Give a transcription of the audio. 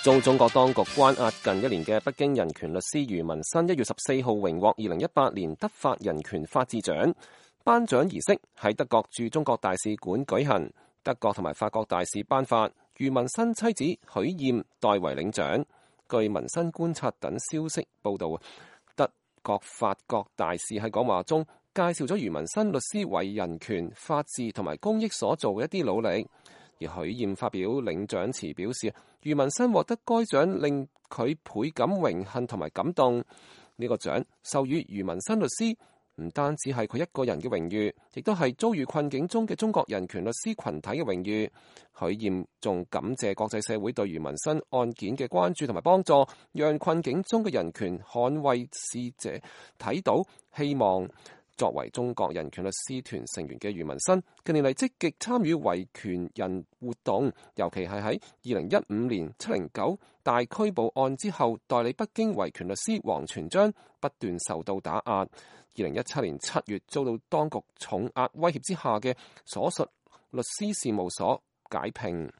遭中國當局關押近1年嘅北京人權律師余文新1月14號榮獲2018年德法人權法治獎，頒獎儀式喺德國駐中國大使館舉行，德國同埋法國大使頒發，余文新妻子許艷代為領獎。據文新觀察等消息報道，德國、法國大使喺講話中介紹咗余文新律師為人權、法治同埋公益所做嘅一啲努力。而許艷發表領獎詞表示，余文新獲得該獎令佢倍感榮幸同埋感動。呢個獎授予余文新律師，唔單止係佢一個人嘅榮譽，亦都係遭遇困境中嘅中國人權律師群體嘅榮譽。許艷仲感謝國際社會對余文新案件嘅關注同埋幫助，讓困境中嘅人權捍衛使者睇到希望。作為中國人權律師團成員嘅余文新，近年嚟積極參與維權人活動，尤其係喺2015年709大拘捕案之後，代理北京維權律師王全璋不斷受到打壓。2017年7月遭到當局重壓威脅之下嘅所屬律師事務所解聘。